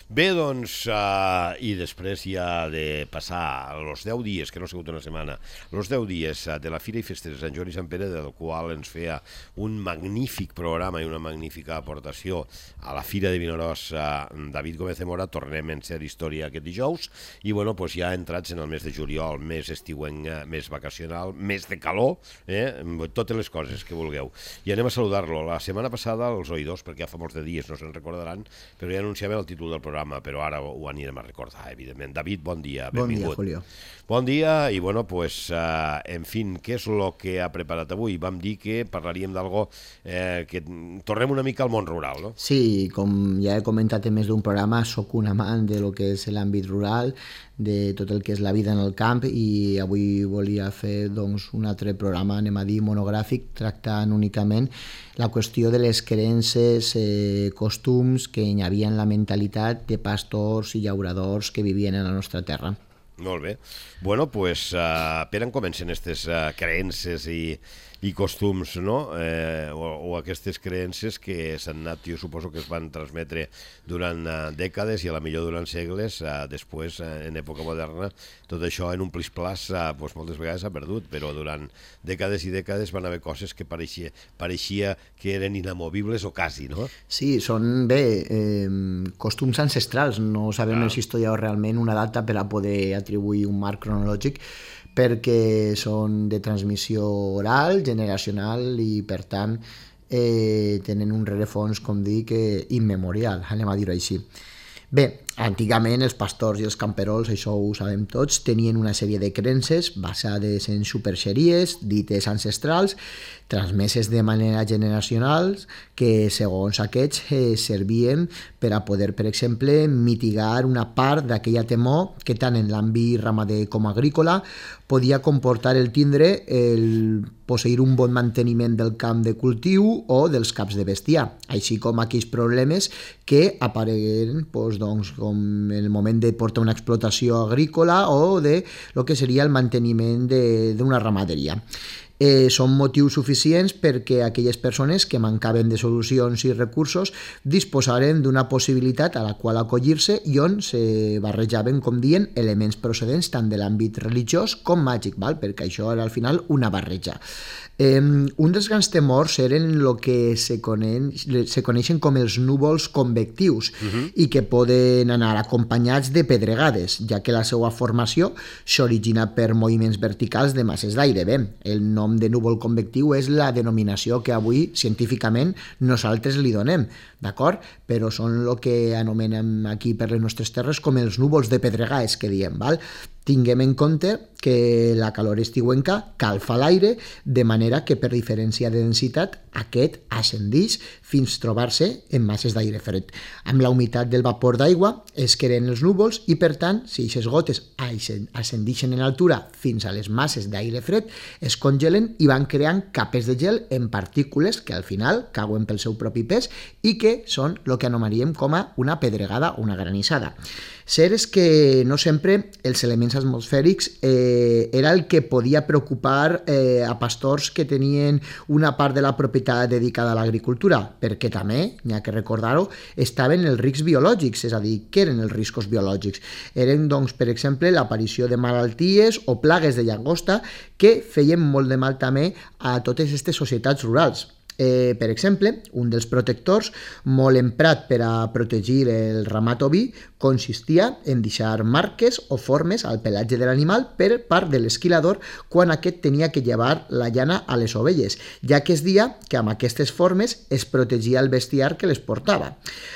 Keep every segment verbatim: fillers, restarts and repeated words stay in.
Bé, doncs, uh, i després ja de passar els deu dies, que no ha sigut una setmana, els deu dies uh, de la Fira i Festes de Sant Joan i Sant Pere, del qual ens feia un magnífic programa i una magnífica aportació a la Fira de Vinaròs uh, David Gómez de Mora, tornem en ser història aquest dijous, i bueno, pues ja entrats en el mes de juliol, més estiuenc, més vacacional, més de calor, eh? Totes les coses que vulgueu. I anem a saludar-lo. La setmana passada, els oïdors, perquè ja fa molts de dies, no se'n recordaran, però ja anunciaven el títol del programa, però ara ho anirem a recordar, evidentment. David, bon dia, benvingut. Bon dia, Julio. Bon dia, i bueno, pues, uh, en fin, què és el que ha preparat avui? Vam dir que parlaríem d'algo eh, que tornem una mica al món rural, no? Sí, com ja he comentat en més d'un programa, sóc un amant de lo que és l'àmbit rural, de tot el que és la vida en el camp, i avui volia fer doncs, un altre programa, anem a dir, monogràfic, tractant únicament la qüestió de les creences, eh, costums que hi havia en la mentalitat de pastors i llauradors que vivien en la nostra terra. Molt bé. Bueno, pues, uh, per on comencen aquestes uh, creences i, i costums, no? Eh, o, o aquestes creences que s'han anat, jo suposo que es van transmetre durant uh, dècades i a la millor durant segles, uh, després, uh, en època moderna, tot això en un plis-plas uh, pues, moltes vegades s'ha perdut, però durant dècades i dècades van haver coses que pareixia, pareixia que eren inamovibles o quasi, no? Sí, són, bé, eh, costums ancestrals, no sabem ah. si hi ha realment una data per a poder atribuir un marc cronològic, perquè són de transmissió oral, generacional, i per tant eh, tenen un rerefons, com dic, eh, immemorial, anem a dir-ho així. Bé, antigament els pastors i els camperols, això ho sabem tots, tenien una sèrie de creences basades en superxeries, dites ancestrals, transmeses de manera generacional, que segons aquests eh, servien per a poder, per exemple, mitigar una part d'aquella temor que tant en l'àmbit ramader com agrícola podia comportar el tindre el posseir un bon manteniment del camp de cultiu o dels caps de bestiar, així com aquells problemes que apareguen doncs, doncs, com en el moment de portar una explotació agrícola o de lo que seria el manteniment d'una ramaderia. Eh, són motius suficients perquè aquelles persones que mancaven de solucions i recursos disposaren d'una possibilitat a la qual acollir-se i on se barrejaven, com dient, elements procedents tant de l'àmbit religiós com màgic, val? Perquè això era al final una barreja. Eh, un dels grans temors eren el que se, coneix, se coneixen com els núvols convectius uh-huh. i que poden anar acompanyats de pedregades, ja que la seva formació s'origina per moviments verticals de masses d'aire. Bé, el nom de núvol convectiu és la denominació que avui científicament nosaltres li donem, d'acord? Però són el que anomenem aquí per les nostres terres com els núvols de pedregades que diem, val? Tinguem en compte que la calor estiuenca calfa l'aire, de manera que per diferència de densitat aquest ascendeix fins trobar-se en masses d'aire fred. Amb la humitat del vapor d'aigua es creen els núvols i per tant, si aquestes gotes ascendeixen en altura fins a les masses d'aire fred, es congelen i van creant capes de gel en partícules que al final cauen pel seu propi pes i que són el que anomenaríem com a una pedregada o una granissada. Cert és que no sempre els elements atmosfèrics eh, era el que podia preocupar eh, a pastors que tenien una part de la propietat dedicada a l'agricultura, perquè també, n'hi ha que recordar-ho, estaven els riscs biològics, és a dir, què eren els riscos biològics? Eren, doncs, per exemple, l'aparició de malalties o plagues de llagosta que feien molt de mal també a totes aquestes societats rurals. Eh, per exemple, un dels protectors molt emprat per a protegir el ramat oví consistia en deixar marques o formes al pelatge de l'animal per part de l'esquilador quan aquest tenia que llevar la llana a les ovelles, ja que es dia que amb aquestes formes es protegia el bestiar que les portava.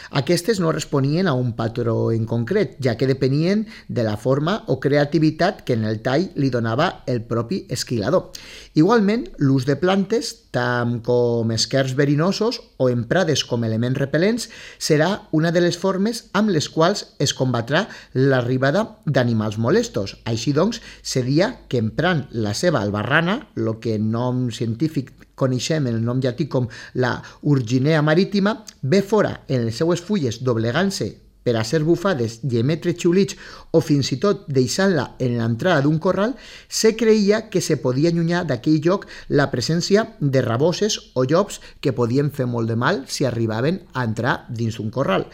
Aquestes no responien a un patró en concret, ja que depenien de la forma o creativitat que en el tall li donava el propi esquilador. Igualment, l'ús de plantes, tant com esquers verinosos o emprades com elements repel·lents, serà una de les formes amb les quals es combatrà l'arribada d'animals molestos. Així doncs, seria que emprant la seva albarrana, el que en nom científic coneixem el nom llatí com la urginea marítima, ve fora en les seues fulles doblegant-se per a ser bufades i emetre xiulits o fins i tot deixant-la en l'entrada d'un corral, se creia que se podia allunyar d'aquell lloc la presència de raboses o llops que podien fer molt de mal si arribaven a entrar dins d'un corral.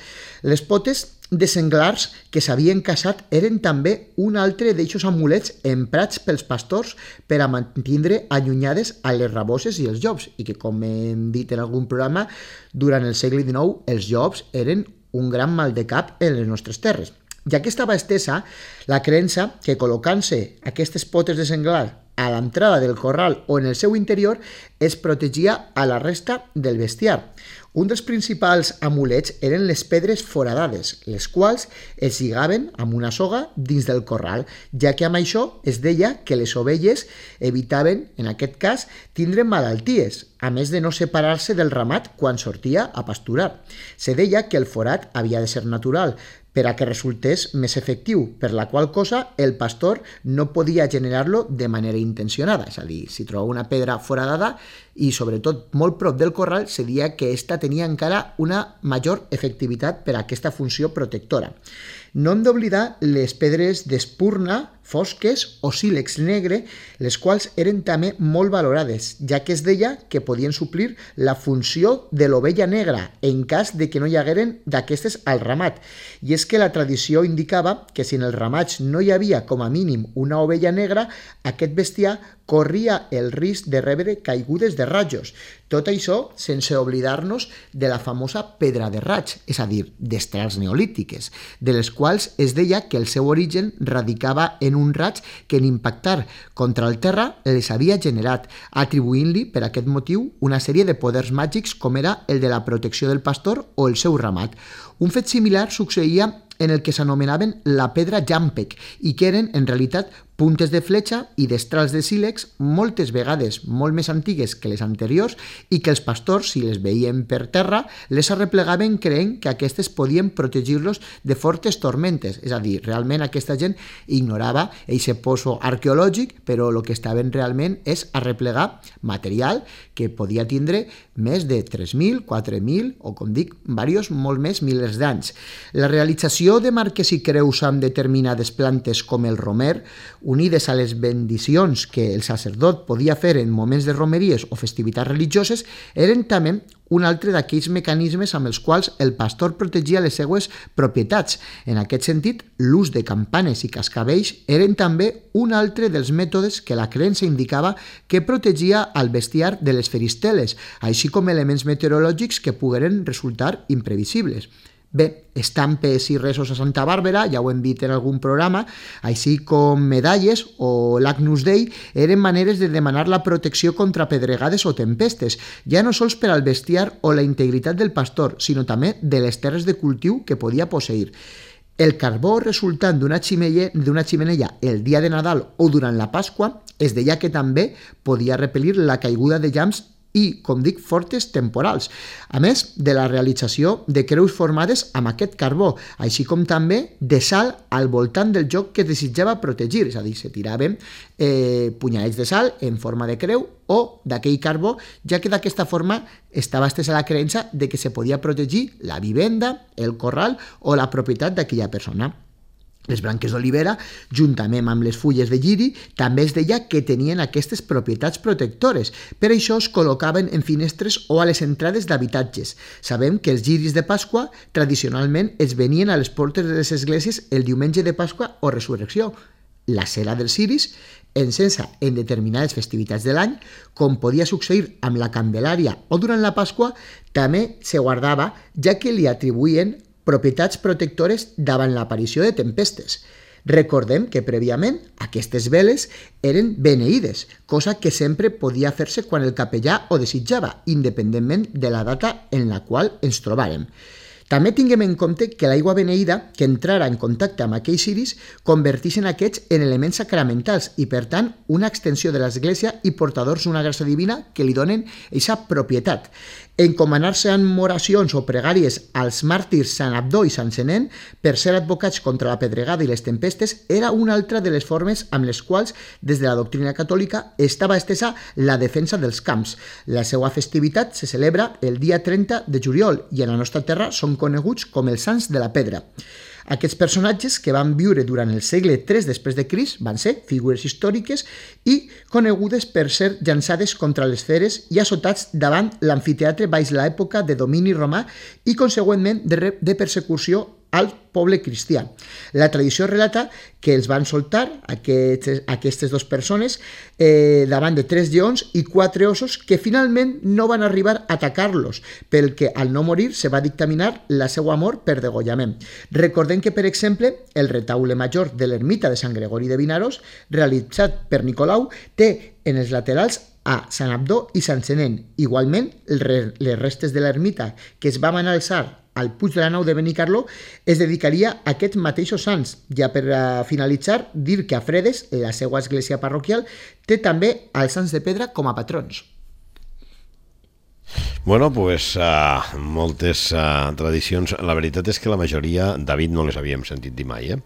Les potes de senglars que s'havien caçat eren també un altre d'eixos amulets emprats pels pastors per a mantindre allunyades a les raboses i els llops, i que, com hem dit en algun programa, durant el segle dinou els llops eren un gran mal de cap en les nostres terres, ja que estava estesa la creença que col·locant-se aquestes potes de senglar a l'entrada del corral o en el seu interior es protegia a la resta del bestiar. Un dels principals amulets eren les pedres foradades, les quals es lligaven amb una soga dins del corral, ja que amb això es deia que les ovelles evitaven, en aquest cas, tindre malalties, a més de no separar-se del ramat quan sortia a pasturar. Se deia que el forat havia de ser natural, per a que resultés més efectiu, per la qual cosa el pastor no podia generar-lo de manera intencionada. És a dir, si trobava una pedra foradada i sobretot molt prop del corral, se deia que esta tenia encara una major efectivitat per a aquesta funció protectora. No hem d'oblidar les pedres d'espurna, fosques o sílex negre, les quals eren també molt valorades, ja que es deia que podien suplir la funció de l'ovella negra en cas de que no hi hagueren d'aquestes al ramat. I és que la tradició indicava que si en els ramats no hi havia com a mínim una ovella negra, aquest bestiar corria el risc de rebre caigudes de rajos. Tot això sense oblidar-nos de la famosa pedra de raig, és a dir, d'estrels neolítiques, de les quals es deia que el seu origen radicava en un raig que en impactar contra el terra les havia generat, atribuint-li per aquest motiu una sèrie de poders màgics com era el de la protecció del pastor o el seu ramat. Un fet similar succeïa en el que s'anomenaven la pedra Jampec i que eren en realitat puntes de fletxa i destrals de sílex moltes vegades molt més antigues que les anteriors i que els pastors, si les veien per terra, les arreplegaven creient que aquestes podien protegir-los de fortes tormentes. És a dir, realment aquesta gent ignorava aquest pozo arqueològic, però el que estaven realment és arreplegar material que podia tindre més de tres mil, quatre mil o, com dic, diversos molt més milers d'anys. La realització de marques i creus amb determinades plantes com el romer, unides a les bendicions que el sacerdot podia fer en moments de romeries o festivitats religioses, eren també un altre d'aquells mecanismes amb els quals el pastor protegia les seues propietats. En aquest sentit, l'ús de campanes i cascavells eren també un altre dels mètodes que la creença indicava que protegia al bestiar de les feristeles, així com elements meteorològics que pogueren resultar imprevisibles. Bé, estampes i resos a Santa Bàrbara, ja ho hem dit en algun programa, així com medalles o l'Agnus Dei, eren maneres de demanar la protecció contra pedregades o tempestes, ja no sols per al bestiar o la integritat del pastor, sinó també de les terres de cultiu que podia posseir. El carbó resultant d'una ximella, d'una ximenella el dia de Nadal o durant la Pasqua es deia que també podia repel·lir la caiguda de llamps i, com dic, fortes temporals, a més de la realització de creus formades amb aquest carbó, així com també de sal al voltant del lloc que desitjava protegir, és a dir, se tiraven eh, punyalets de sal en forma de creu o d'aquell carbó, ja que d'aquesta forma estava estesa la creença de que se podia protegir la vivenda, el corral o la propietat d'aquella persona. Les branques d'olivera, juntament amb les fulles de lliri, també es deia que tenien aquestes propietats protectores. Per això es col·locaven en finestres o a les entrades d'habitatges. Sabem que els lliris de Pasqua tradicionalment es venien a les portes de les esglésies el diumenge de Pasqua o Resurrecció. La cera dels ciris, encesa en determinades festivitats de l'any, com podia succeir amb la Candelària o durant la Pasqua, també se guardava, ja que li atribuïen propietats protectores davant l'aparició de tempestes. Recordem que prèviament aquestes veles eren beneïdes, cosa que sempre podia fer-se quan el capellà ho desitjava, independentment de la data en la qual ens trobàrem. També tinguem en compte que l'aigua beneïda que entrara en contacte amb aquells ciris converteixen aquests en elements sacramentals i, per tant, una extensió de l'Església i portadors d'una gràcia divina que li donen aquesta propietat. encomanar-se amb oracions o pregàries als màrtirs Sant Abdó i Sant Senén per ser advocats contra la pedregada i les tempestes era una altra de les formes amb les quals, des de la doctrina catòlica, estava estesa la defensa dels camps. La seva festivitat se celebra el dia trenta de juliol i en la nostra terra són coneguts com els Sants de la Pedra. Aquests personatges, que van viure durant el segle tres després de Crist, van ser figures històriques i conegudes per ser llançades contra les feres i assotats davant l'amfiteatre baix l'època de domini romà i, consegüentment, de, de persecució al poble cristià. La tradició relata que els van soltar aquestes, aquestes dues persones eh, davant de tres lleons i quatre ossos que finalment no van arribar a atacar-los, pel que al no morir se va dictaminar la seva mort per degollament. Recordem que, per exemple, el retaule major de l'ermita de Sant Gregori de Vinaròs, realitzat per Nicolau, té en els laterals a Sant Abdó i Sant Senén. Igualment, les restes de l'ermita que es van alçar al Puig de la Nau de Benicarló es dedicaria a aquests mateixos sants. Ja per finalitzar, dir que a Fredes, la seva església parroquial, té també els Sants de Pedra com a patrons. Bueno, pues uh, moltes uh, tradicions. La veritat és que la majoria, David, no les havíem sentit dir mai, eh?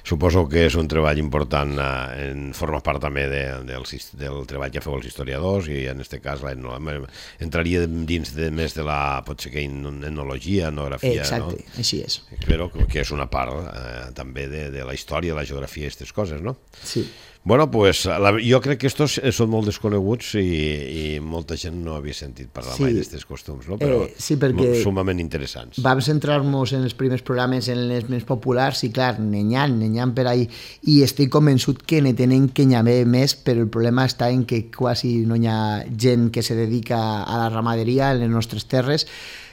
Suposo que és un treball important, uh, en forma part també de, del, del treball que feu els historiadors i en aquest cas la etnologia. Entraria dins de més de la, potser que etnologia, etnografia, Exacte, no? Així és. Però que és una part uh, també de, de la història, la geografia i aquestes coses, no? Sí. Bueno, pues, la, jo crec que estos són molt desconeguts i, i molta gent no havia sentit parlar sí. mai d'aquests costums, no? Però eh, sí, perquè sumament interessants. Vam centrar-nos en els primers programes en les més populars i, clar, n'hi ha, n'hi ha per ahí, i estic convençut que ne tenen que n'hi haver més, però el problema està en que quasi no hi ha gent que se dedica a la ramaderia en les nostres terres,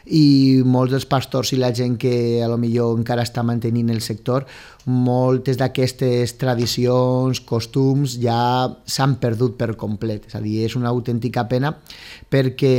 i molts dels pastors i la gent que a lo millor encara està mantenint el sector, moltes d'aquestes tradicions, costums, ja s'han perdut per complet. És a dir, és una autèntica pena perquè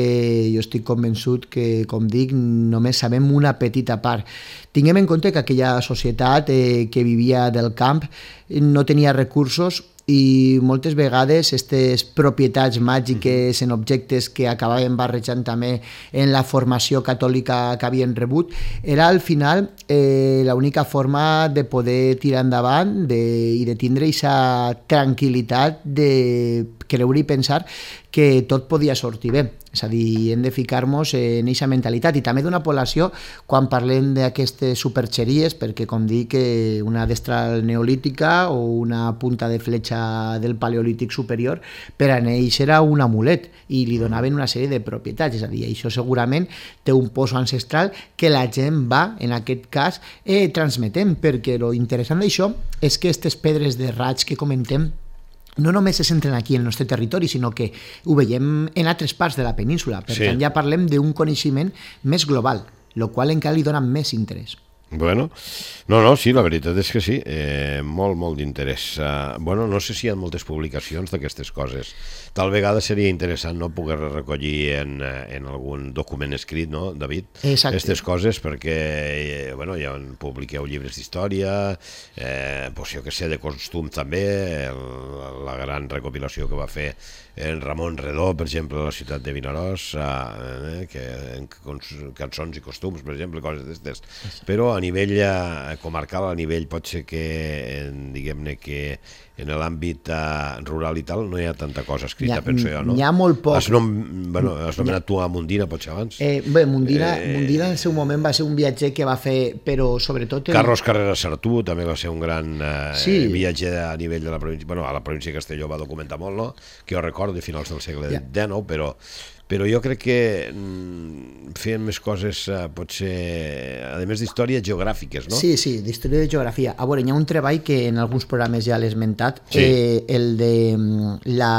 jo estic convençut que, com dic, només sabem una petita part. Tinguem en compte que aquella societat eh, que vivia del camp no tenia recursos i moltes vegades aquestes propietats màgiques en objectes que acabaven barrejant també en la formació catòlica que havien rebut, era al final eh, l'única forma de poder tirar endavant de, i de tindre aquesta tranquil·litat de creure i pensar que tot podia sortir bé. És a dir, hem de ficar-nos en aquesta mentalitat i també d'una població quan parlem d'aquestes superxeries, perquè com dic, una destral neolítica o una punta de fletxa del paleolític superior per a ells era un amulet i li donaven una sèrie de propietats. És a dir, això segurament té un poso ancestral que la gent va, en aquest cas, eh, transmetent, perquè lo interessant d'això és que aquestes pedres de raig que comentem no només se centren aquí en el nostre territori, sinó que ho veiem en altres parts de la península. Per sí. tant, ja parlem d'un coneixement més global, el qual encara li dona més interès. Bueno, no, no, sí, la veritat és que sí, eh, molt, molt d'interès. Uh, bueno, no sé si hi ha moltes publicacions d'aquestes coses. Tal vegada seria interessant, no?, poder recollir en, en algun document escrit, no, David? Exacte. Aquestes coses, perquè, eh, bueno, ja publiqueu llibres d'història, eh, doncs jo que sé, de costums també, el, la gran recopilació que va fer en Ramon Redó, per exemple, a la ciutat de Vinaròs, eh, que, en cançons i costums, per exemple, coses d'aquestes. Però a nivell eh, comarcal, a nivell pot ser que, diguem-ne que en l'àmbit eh, rural i tal no hi ha tanta cosa escrita, ha, penso jo, no? N'hi ha molt poc. Has, nom, bueno, has nomenat tu a Mundina, potser abans? Eh, bé, Mundina, eh, Mundina en el seu moment va ser un viatger que va fer, però sobretot... El... Carlos Carrera Sartú també va ser un gran eh, sí. viatger a nivell de la província, bueno, a la província de Castelló va documentar molt, no? Que jo recordo, de finals del segle yeah. dinou, però... Però jo crec que mm, feien més coses, eh, potser, a més d'històries geogràfiques, no? Sí, sí, d'història de geografia. A veure, hi ha un treball que en alguns programes ja l'he esmentat, sí. eh, el, de, la,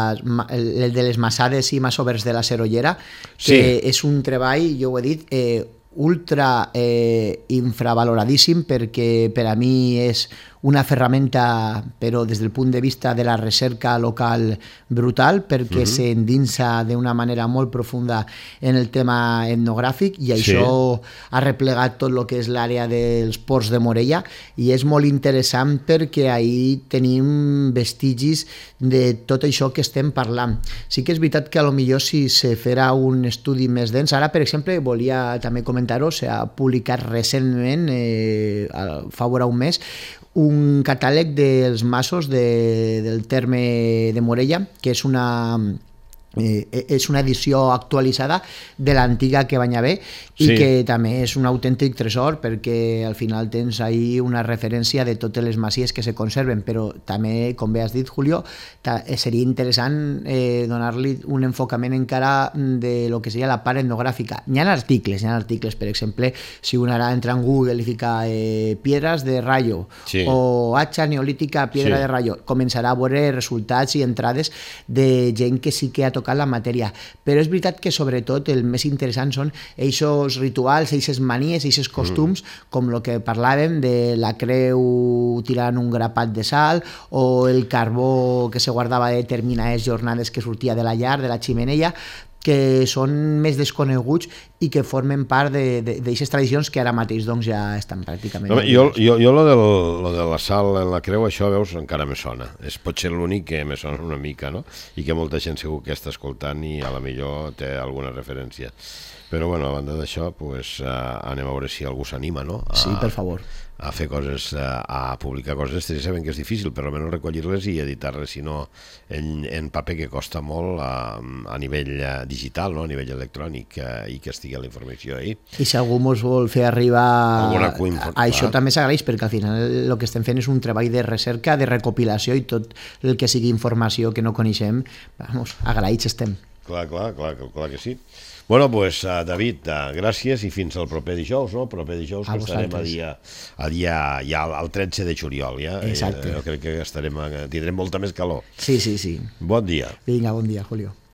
el de les massades i masovers de la Serollera, que sí. és un treball, jo ho he dit, eh, ultra eh, infravaloradíssim, perquè per a mi és una ferramenta, però des del punt de vista de la recerca local brutal, perquè uh-huh. s'endinsa d'una manera molt profunda en el tema etnogràfic i això sí. ha replegat tot el que és l'àrea dels ports de Morella i és molt interessant perquè ahir tenim vestigis de tot això que estem parlant. Sí que és veritat que a lo millor si se farà un estudi més dens, ara per exemple volia també comentar-ho, s'ha publicat recentment, eh, fa vora un mes, un catàleg dels masos de, del terme de Morella, que és una, eh, és una edició actualitzada de l'antiga que banya bé i sí. que també és un autèntic tresor perquè al final tens ahí una referència de totes les masies que se conserven, però també, com bé has dit, Julio, seria interessant eh, donar-li un enfocament encara de lo que seria la part etnogràfica. Hi ha articles, hi ha articles, per exemple, si un ara entra en Google i fica eh, piedras de rayo sí. o hacha neolítica piedra sí. de rayo, començarà a veure resultats i entrades de gent que sí que ha tocat la matèria. Però és veritat que sobretot el més interessant són eixos rituals, eixes manies, eixes costums, mm. com el que parlàvem de la creu tirant un grapat de sal o el carbó que se guardava de determinades jornades que sortia de la llar, de la ximenella, que són més desconeguts i que formen part d'aquestes tradicions que ara mateix doncs, ja estan pràcticament... No, jo jo, jo lo, del, lo de la sal en la creu, això, veus, encara me sona. És potser l'únic que me sona una mica, no? I que molta gent segur que està escoltant i a la millor té alguna referència. Però, bueno, a banda d'això, pues, uh, anem a veure si algú s'anima, no? A, sí, per favor. A fer coses, a publicar coses. Sabem que és difícil, per almenys recollir-les i editar-les, si no, en, en paper, que costa molt a, a nivell digital, no? A nivell electrònic, i que estigui la informació ahí. I si algú ens vol fer arribar a, a això també s'agraeix, perquè al final el que estem fent és un treball de recerca, de recopilació i tot el que sigui informació que no coneixem, vamos, agraïts estem. Clar, clar, clar, clar que sí. Bueno, doncs, pues, uh, David, uh, gràcies i fins al proper dijous, no? El proper dijous a que estarem a dia, a dia ja al tretze de juliol, ja. Exacte. Jo crec que estarem, tindrem molta més calor. Sí, sí, sí. Bon dia. Vinga, bon dia, Julio.